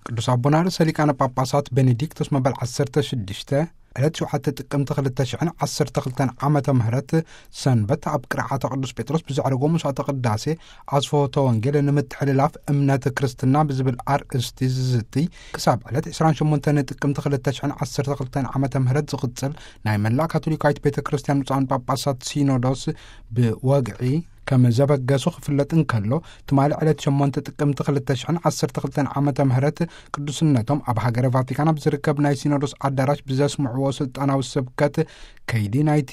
ቅዱስ ኣቦና ርእሰ ሊቃነ ጳጳሳት ቤኔዲክቶስ መበል ዓሰርተ ሽዱሽተ ዕለት ሸውዓተ ጥቅምቲ ክልተ ሽሕን ዓሰርተ ክልተን ዓመተ ምህረት ሰንበት ኣብ ቅርዓተ ቅዱስ ጴጥሮስ ብዘዕረጎ መስዋዕተ ቅዳሴ ኣስፍሆተ ወንጌል ንምትሕልላፍ እምነት ክርስትና ብዝብል ኣርእስቲ ዝዝቲ ክሳብ ዕለት ዕስራን ሸሞንተን ጥቅምቲ ክልተ ሽሕን ዓሰርተ ክልተን ዓመተ ምህረት ዝቕጽል ናይ መላእ ካቶሊካዊት ቤተ ክርስቲያን ብፁዓን ጳጳሳት ሲኖዶስ ብወግዒ ከም ዘበገሱ ክፍለጥ እንከሎ፣ ትማሊ ዕለት ሸሞንተ ጥቅምቲ ክልተ ሽሕን ዓሰርተ ክልተን ዓመተ ምህረት ቅዱስነቶም ኣብ ሃገረ ቫቲካን ኣብ ዝርከብ ናይ ሲኖዶስ ኣዳራሽ ብዘስምዕዎ ስልጣናዊ ስብከት ከይዲ ናይቲ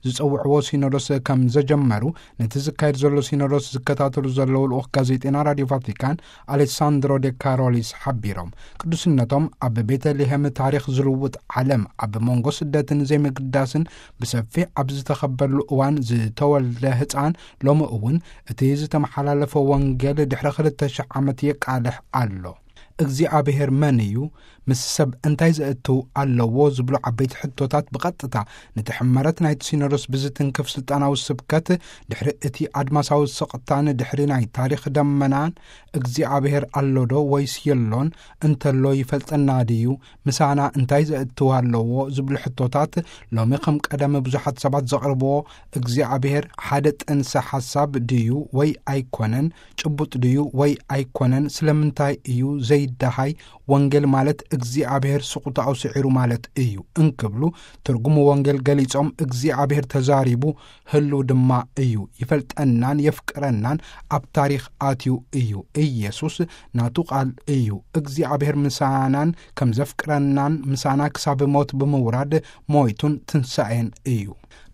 ዝጸውዕዎ ሲኖዶስ ከም ዘጀመሩ፣ ነቲ ዝካየድ ዘሎ ሲኖዶስ ዝከታተሉ ዘለዉ ልኡኽ ጋዜጠና ራድዮ ቫቲካን ኣሌሳንድሮ ዴ ካሮሊስ ሓቢሮም። ቅዱስነቶም ኣብ ቤተልሔም ታሪኽ ዝልውጥ ዓለም ኣብ መንጎ ስደትን ዘይምግዳስን ብሰፊሕ ኣብ ዝተኸበሉ እዋን ዝተወልደ ህፃን ሎሚ እውን እቲ ዝተመሓላለፈ ወንጌል ድሕሪ ክልተ ሽሕ ዓመት የቃልሕ ኣሎ። እግዚኣብሔር መን እዩ? ምስ ሰብ እንታይ ዘእትው ኣለዎ? ዝብሉ ዓበይቲ ሕቶታት ብቐጥታ ነቲ ሕመረት ናይቲ ሲኖዶስ ብዝትንክፍ ስልጣናዊ ስብከት፣ ድሕሪ እቲ ኣድማሳዊ ስቕታን ድሕሪ ናይ ታሪኽ ደመናን እግዚኣብሔር ኣሎዶ ወይስ የሎን? እንተሎ ይፈልጠና ድዩ? ምሳና እንታይ ዘእትው ኣለዎ? ዝብሉ ሕቶታት ሎሚ ከም ቀደም ብዙሓት ሰባት ዘቕርብዎ፣ እግዚኣብሔር ሓደ ጥንሰ ሓሳብ ድዩ ወይ ኣይኮነን? ጭቡጥ ድዩ ወይ ኣይኮነን? ስለምንታይ እዩ ዘይደሃይ? ወንጌል ማለት እግዚኣብሔር ስቕታኡ ስዒሩ ማለት እዩ እንክብሉ ትርጉሙ ወንጌል ገሊጾም፣ እግዚኣብሔር ተዛሪቡ ህልው ድማ እዩ፣ ይፈልጠናን የፍቅረናን ኣብ ታሪኽ ኣትዩ እዩ። ኢየሱስ ናቱ ቃል እዩ። እግዚኣብሔር ምሳናን ከም ዘፍቅረናን ምሳና ክሳብ ሞት ብምውራድ ሞይቱን ትንሳኤን እዩ።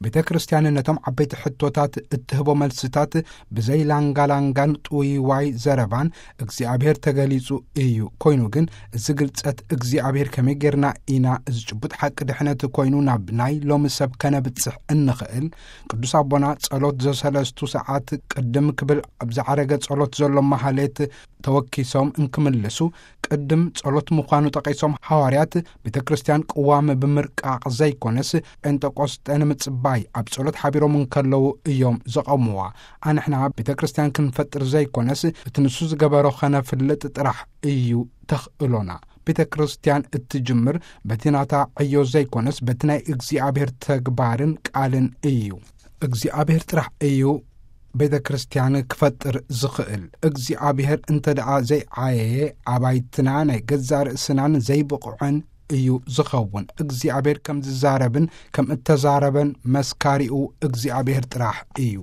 ቤተ ክርስቲያን ነቶም ዓበይቲ ሕቶታት እትህቦ መልስታት ብዘይ ላንጋላንጋን ጥውይዋይ ዘረባን እግዚኣብሔር ተገሊጹ እዩ። ኮይኑ ግን እዚ ግልጸት እግዚኣብሔር ከመይ ጌርና ኢና እዚ ጭቡጥ ሓቂ ድሕነት ኮይኑ ናብ ናይ ሎሚ ሰብ ከነብጽሕ እንኽእል? ቅዱስ ኣቦና ጸሎት ዘሰለስቱ ሰዓት ቅድም ክብል ኣብ ዝዓረገ ጸሎት ዘሎ ማህሌት ተወኪሶም እንክምልሱ ቅድም ጸሎት ምዃኑ ጠቒሶም፣ ሃዋርያት ቤተ ክርስቲያን ቅዋም ብምርቃቕ ዘይኮነስ ጴንጠቆስጠ ንምጽባይ ኣብ ጸሎት ሓቢሮም እንከለዉ እዮም ዘቐምዋ። ኣንሕና ቤተ ክርስቲያን ክንፈጥር ዘይኮነስ እቲ ንሱ ዝገበሮ ኸነፍልጥ ጥራሕ እዩ ተኽእሎና። ቤተ ክርስቲያን እትጅምር በቲ ናታ ዕዮ ዘይኮነስ በቲ ናይ እግዚኣብሔር ተግባርን ቃልን እዩ። እግዚኣብሔር ጥራሕ እዩ ቤተ ክርስቲያን ክፈጥር ዝኽእል። እግዚኣብሔር እንተ ደኣ ዘይዓየየ፣ ኣባይትና ናይ ገዛ ርእስናን ዘይብቑዕን እዩ ዝኸውን። እግዚኣብሔር ከም ዝዛረብን ከም እተዛረበን መስካሪኡ እግዚኣብሔር ጥራሕ እዩ።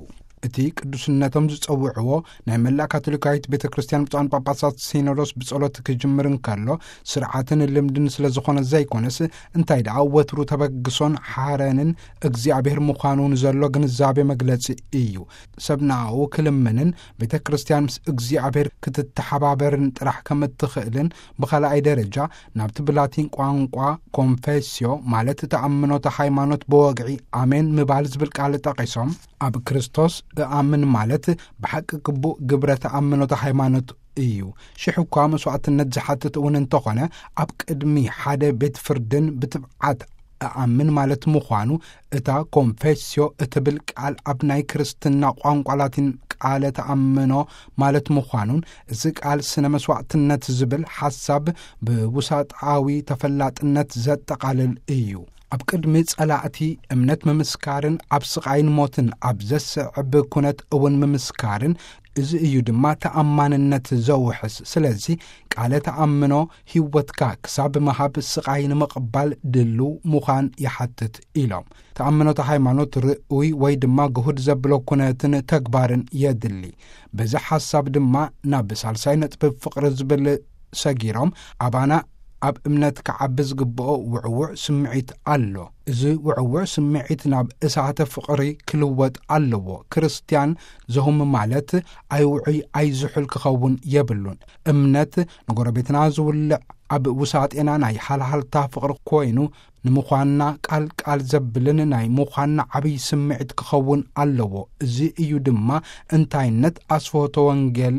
እቲ ቅዱስነቶም ዝጸውዕዎ ናይ መላእ ካቶሊካዊት ቤተ ክርስቲያን ብፁዓን ጳጳሳት ሲኖዶስ ብጸሎት ክጅምር እንከሎ፣ ስርዓትን ልምድን ስለ ዝኾነ ዘይኮነስ፣ እንታይ ደኣ ወትሩ ተበግሶን ሓረንን እግዚኣብሔር ምዃኑ ንዘሎ ግንዛቤ መግለጺ እዩ። ሰብ ንኣኡ ክልምንን ቤተ ክርስቲያን ምስ እግዚኣብሔር ክትተሓባበርን ጥራሕ ከም እትኽእልን፣ ብኻልኣይ ደረጃ ናብቲ ብላቲን ቋንቋ ኮንፌስዮ ማለት ተኣምኖተ ሃይማኖት ብወግዒ ኣሜን ምባል ዝብል ቃል ጠቒሶም፣ ኣብ ክርስቶስ እኣምን ማለት ብሓቂ ግቡእ ግብረ ተኣምኖተ ሃይማኖት እዩ። ሽሕ እኳ መስዋዕትነት ዝሓትት እውን እንተኾነ፣ ኣብ ቅድሚ ሓደ ቤት ፍርድን ብትብዓት እኣምን ማለት ምዃኑ፣ እታ ኮንፌስዮ እትብል ቃል ኣብ ናይ ክርስትና ቋንቋ ላቲን ቃለ ተኣምኖ ማለት ምዃኑን፣ እዚ ቃል ስነ መስዋዕትነት ዝብል ሓሳብ ብውሳጣዊ ተፈላጥነት ዘጠቓልል እዩ። ኣብ ቅድሚ ጸላእቲ እምነት ምምስካርን ኣብ ስቓይን ሞትን ኣብ ዘስዕብ ኩነት እውን ምምስካርን፣ እዚ እዩ ድማ ተኣማንነት ዘውሕስ። ስለዚ ቃለ ተኣምኖ ህይወትካ ክሳብ ምሃብ ስቓይ ንምቕባል ድልው ምዃን ይሓትት ኢሎም። ተኣምኖተ ሃይማኖት ርኡይ ወይ ድማ ግሁድ ዘብሎ ኩነትን ተግባርን የድሊ። በዚ ሓሳብ ድማ ናብ ሳልሳይ ነጥቢ ፍቕሪ ዝብል ሰጊሮም፣ ኣባና ኣብ እምነት ክዓቢ ዝግብኦ ውዕውዕ ስምዒት ኣሎ። እዚ ውዕውዕ ስምዒት ናብ እሳተ ፍቕሪ ክልወጥ ኣለዎ። ክርስትያን ዘሁም ማለት ኣይውዑይ ኣይዝሑል ክኸውን የብሉን። እምነት ንጎረቤትና ዝውልዕ ኣብ ውሳጤና ናይ ሃልሃልታ ፍቕሪ ኮይኑ ንምዃንና ቃል ቃል ዘብልን ናይ ምዃንና ዓብዪ ስምዒት ክኸውን ኣለዎ። እዚ እዩ ድማ እንታይነት ኣስፍሆተ ወንጌል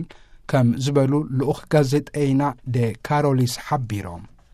ከም ዝበሉ ልኡኽ ጋዜጠይና ደ ካሮሊስ ሓቢሮም።